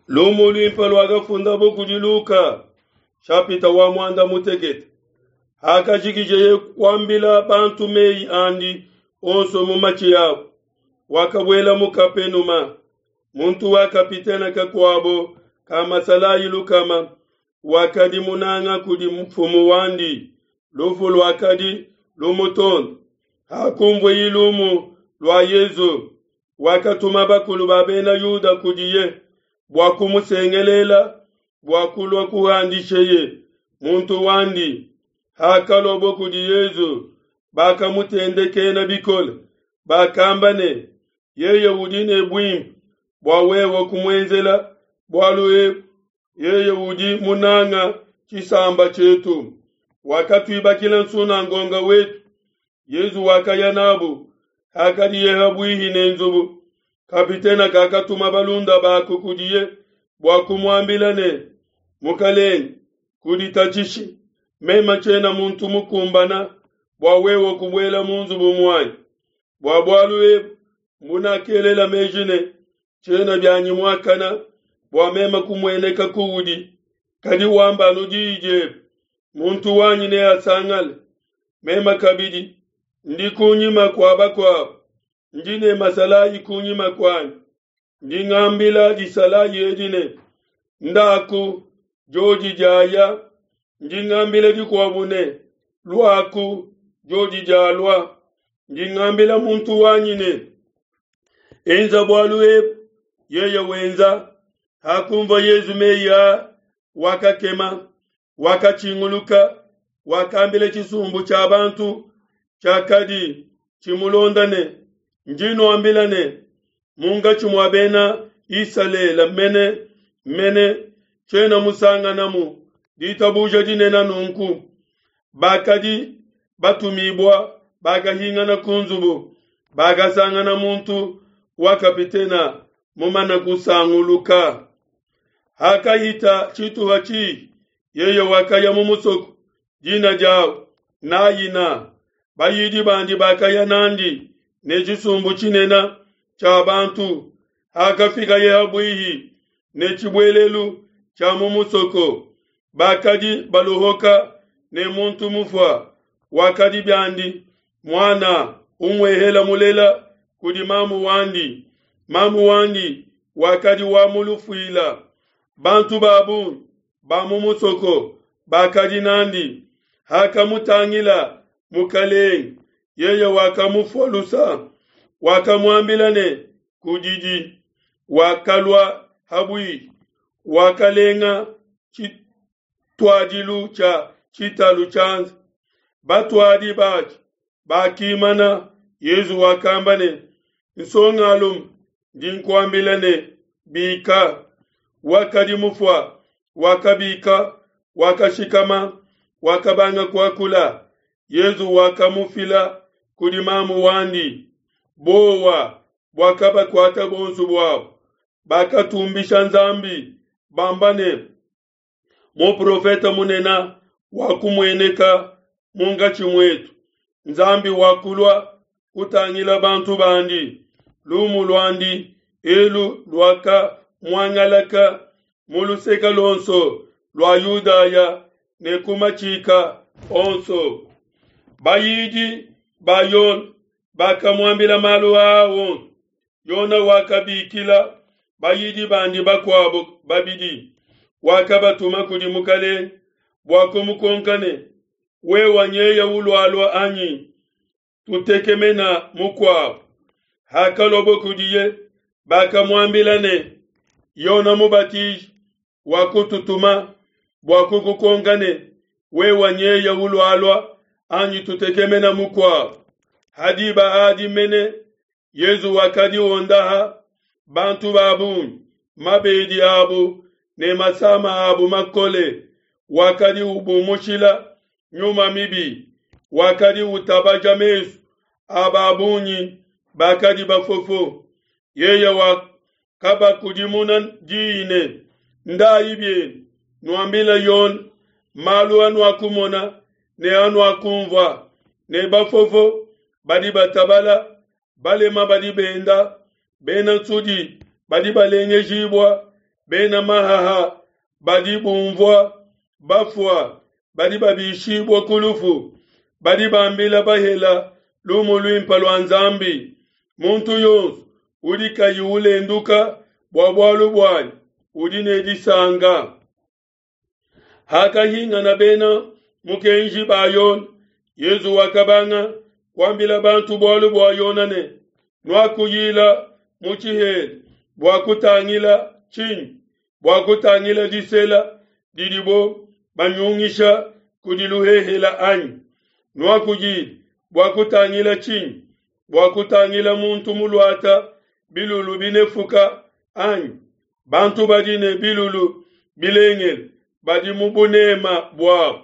Lumu luimpe luakafundabo kudi Luka, shapita wa muanda mutekete. Hakajikijeye kuambila bantu meyi andi onso mu matshi abo, wakabuela mu Kapenuma. Muntu wa kapitene kakuabo ka masalayi lukama wakadi munanga kudi mfumu wandi, lufu luakadi lumutonda. Hakunvueye lumu lua Yesu, wakatuma bakulu ba Bena Yuda kudiye bua kumusengelela bua kulua kuhandisheye muntu wandi. Hakaluabo kudi Yesu, bakamutendekena bikole, bakamba ne, Yeye udi ne buimpe bua wewe kumuenzela bualu ebu, yeye udi munanga tshisamba tshietu, wakatuibakila nsunangonga wetu. Yesu wakaya nabu. Hakadiye habuihi ne nzubu, kapitena kakatuma balunda baku kudiye bua kumuambila ne, Mukalenge, kuditatshishi, meme tshiena muntu mukumbana bua wewe kubuela mu nzubu muanyi. Bua bualu ebu mbunakelela meji ne, tshiena bianyi muakana bua meme kumueneka kuudi, kadi wamba anu diyi diebe, muntu wanyi neasangale. Meme kabidi ndi kunyima kua bakuabo, ndi ne masalayi kunyima kuanyi. Ndi ngambila disalayi edi ne, Ndaku, diodi diaya. Ndi ngambila dikuabu ne, Luaku, diodi dialua. Ndi ngambila muntu wanyi ne, Enza bualu ebu, yeye wenza. Hakumvua Yezu meyi aa, wakakema, wakatshinguluka, wakambila tshisumbu tshia bantu tshiakadi tshimulonda ne, Ndi nuambila ne, munkatshi mua bena Isalele mene mene tshiena musanganamu ditabuja dinene nunku. Bakadi batumibua bakahingana ku nzubu, bakasangana muntu wa kapitena mumane kusanguluka. Hakahita tshituha tshihi, yeye wakaya mu musoko, dina diau Naina. Bayidi bandi bakaya n'andi ne tshisumbu tshinene tshia bantu. Hakafikaye habuihi ne tshibuelelu tshia mu musoko, bakadi baluhoka ne muntu mufua, wakadi biandi muana umuehela mulela kudi mamu wandi. Mamu wandi wakadi wa mu lufuila. Bantu ba bungi ba mu musoko bakadi n'andi. Hakamutangila Mukelenge, yeye wakamufua lusa, wakamuambila ne, Kudidi. Wakalua habuihi, wakalenga tshituadilu tshia tshitalu tshianza. Batuadi batshi bakimana. Yezu wakamba ne, Nsongalume, ndi nkuambila ne, Bika. Wakadi mufua wakabika, wakashikama, wakabanga kuakula. Yezu wakamufila kudi mamu wandi. Buowa buakabakuata bonso buabo, bakatumbisha Nzambi bamba ne, Muprofete munene wakumueneka munkatshi muetu, Nzambi wakulua kutangila bantu bandi. Lumu luandi elu luakamuangalaka mu luseke luonso lua Yudaya ne ku matshika onso. Bayidi ba Yone bakamuambila malu aa onso. Yone wakabikila bayidi bandi bakuabo babidi, wakabatuma kudi Mukalenge bua kumukonka ne, Wewa nyeye ulualua anyi tutekemena mukuabo? Hakaluabo kudiye, bakamuambila ne, Yone Mubatiji wakututuma bua kukukonka ne, Wewa nyeye ulualua anyi tutekemena mukuabo? Ha diba adi mene Yezu wakadi wondaha bantu ba bungi mabedi abu ne masama abu makole, wakadi ubumushila nyuma mibi, wakadi utabaja mesu a ba bungi bakadi bafofo. Yeye wakabakudimuna diyi ne, Ndayi bienu, nuambile Yone malu anuakumona ne anuakumvua, ne bafofo badi batabala, balema badi benda, bena nsudi badi balengejibua, bena mahaha badi bumvua bafua badi babishibua ku lufu, badi bambila bahela lumu luimpe lua Nzambi. Muntu yonso udi kayi ulenduka bua bualu buanyi udi ne disanka. Hakahingana bena mukenji ba Yona, Yezu wakabanga kuambila bantu bualu bua Yona ne, Nuakuyila mu tshihela bua kutangila tshinyi? Bua kutangila disela didibo banyungisha kudi luhehela anyi? Nuakuyila bua kutangila tshinyi? Bua kutangila muntu muluata bilulu binefuka anyi? Bantu badi ne bilulu bilengele badi mu bunema buabu,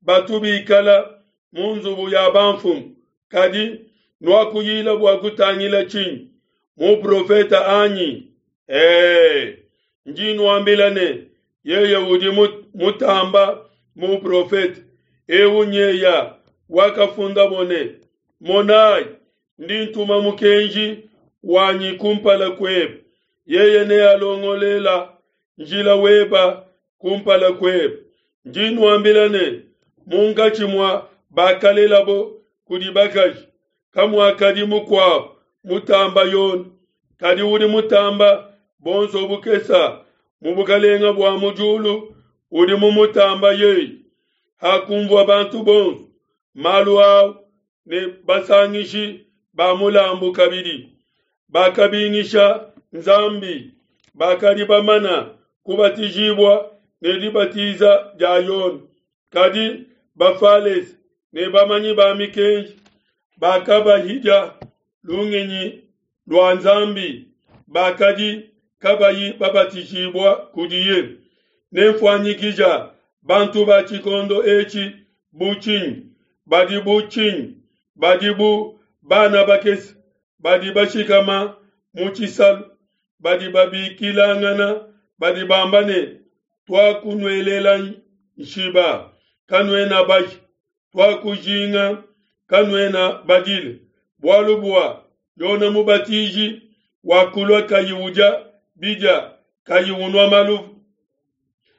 batu bikala mu nzubu ya bamfumu. Kadi nuakuyila bua kutangila tshinyi? Muprofete anyi? Ee, ndi nuambila ne, yeye udi mutamba muprofete. Eu nyeya wakafundabo ne, Monayi, ndi ntuma mukenji wanyi kumpala kuebe, yeye nealongolela njila weba kumpala kuebe. Ndi nuambila ne, munkatshi mua bakalelabo kudi bakaji, kamuakadi mukuabu mutamba Yone, kadi udi mutamba bonso bukesa mu bukalenga bua mu diulu udi mumutamba yeye. Hakunvua bantu bonso malu au ne basangishi ba mulambu kabidi, bakabingisha Nzambi, bakadi bamana kubatijibua ne dibatiza dia Yone. Kadi Bafalese ne bamanyi ba mikenji bakabahidia lungenyi lua Nzambi, bakadi kabayi babatijibua kudiye. Nenfuanyikija bantu ba tshikondo etshi bu tshinyi? Badi bu tshinyi? Badi bu bana bakese badi bashikama mu tshisalu, badi babikilangana, badi bamba ne, Tuakunuelela nshiba, kanuena baje, tuakujinga, kanuena badile. Bualu bua Yone Mubatiji wakulua kayi udia bidia, kayi unua maluvu.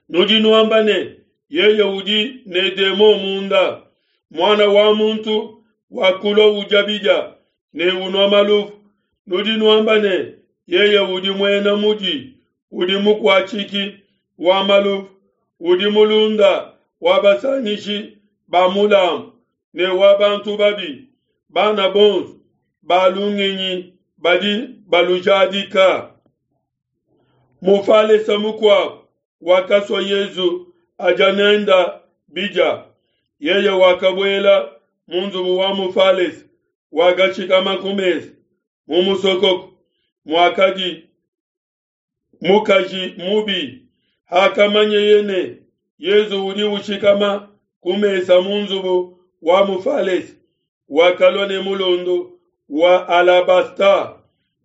Nudi nuamba ne, yeye udi ne demon munda. Muana wa muntu wakulua udia bidia ne unua maluvu. Nudi nuamba ne, yeye udi muena mudi, udi mukuatshiki wa maluvu, udi mulunda wa basangishi ba mulambu ne wa bantu babi. Bana bonso ba lungenyi badi balujadika. Mufalesa mukuabu wakasua Yezu adia nenda bidia. Yeye wakabuela mu nzubu wa mufalesa, wakashikama ku mesa mu musokoko muakadi mukaji mubi. Hakamanyeye ne Yezu udi ushikama ku mesa mu nzubu wa mufalesa, wakalua ne mulondo wa alabasta.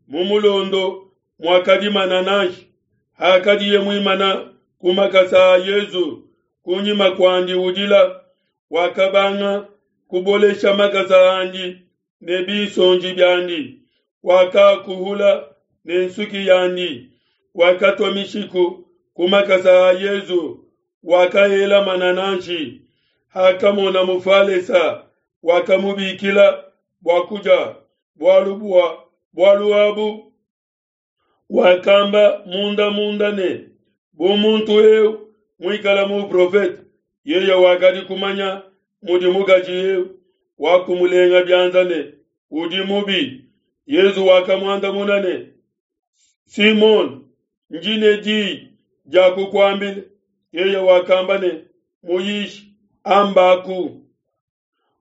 Mu mulondo muakadi manananshi. Hakadiye muimana ku makasa a Yezu kunyima kuandi udila, wakabanga kubolesha makasa andi ne binsonji biandi, wakakuhula ne nsuki yandi, wakatua mishiku ku makasa a Yezu, wakaela manananshi. Hakamona mufalesa, wakamubikila bua kudia bualu bua bualu abu wakamba munda munda ne, bu muntu eu muikala muprofete, yeye wakadi kumanya mudi mukaji eu wakumulenga bianza ne udi mubi. Yezu wakamuandamuna ne, Simone, ndi ne diyi dia kukuambila. Yeye wakamba ne, Muyishi, ambaku.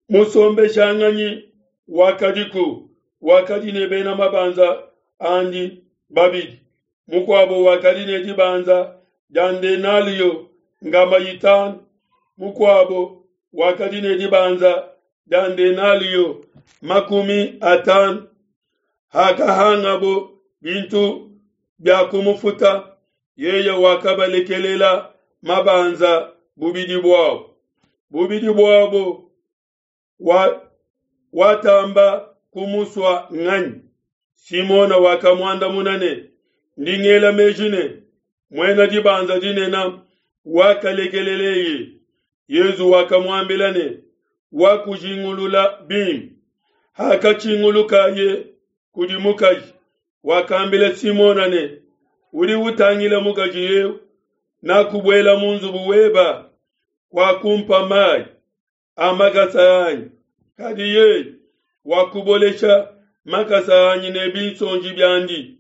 Musombeshanganyi wakadiku, wakadi ne bena mabanza andi babidi. Mukuabo wakadi ne dibanza dia ndenalio ngamba itanu, mukuabo wakadi ne dibanza dia ndenalio 50. Hakahangabo bintu bia kumufuta, yeye wakabalekelela mabanza bubidi buabo. Bubidi buabo wa, watamba kumusua nganyi? Simona wakamuandamuna ne, ndi ngela meji ne, Muena dibanza dinene wakalekeleleye. Yesu wakamuambila ne, Wakujingulula bimpe. Hakatshingulukaye kudi mukaji, wakambila Simona ne, Udi utangila mukaji eu, nakubuela mu nzubu weba, wakumpa mayi a makasa anyi, kadi yeye wakubolesha makasa anyi ne binsonji biandi,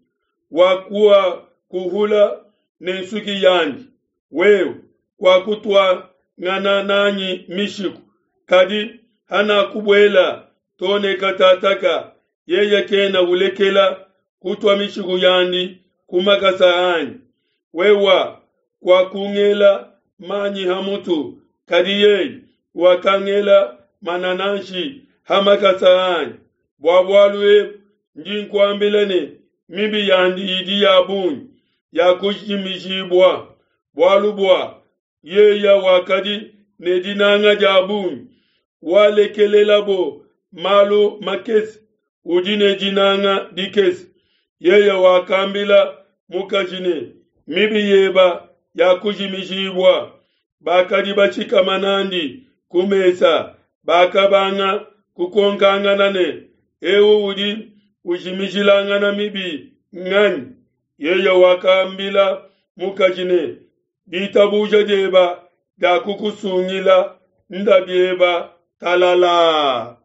wakuakuhula ne nsuki yandi. Wewe kuakutuangana nanyi mishiku, kadi hanakubuela to ne katataka, yeye kena ulekela kutua mishiku yandi ku makasa anyi. Wewe kuakungela manyi ha mutu, kadi yeye wakangela manananshi ha makasa anyi. Bua bualu ebu ndi nkuambila ne, mibi yandi idi ya bungi yakujimijibua, bualu bua yeye wakadi ne dinanga dia bungi. Walekelelabo malu makese udi ne dinanga dikese. Yeye wakambila mukaji ne, mibi yeba yakujimijibua. Bakadi bashikama nandi ku mesa bakabanga kukonkangana ne, eu udi ujimijilangana mibi nganyi? Yeye wakambila mukaji ne, ditabuja dieba diakukusungila, nda bieba talala.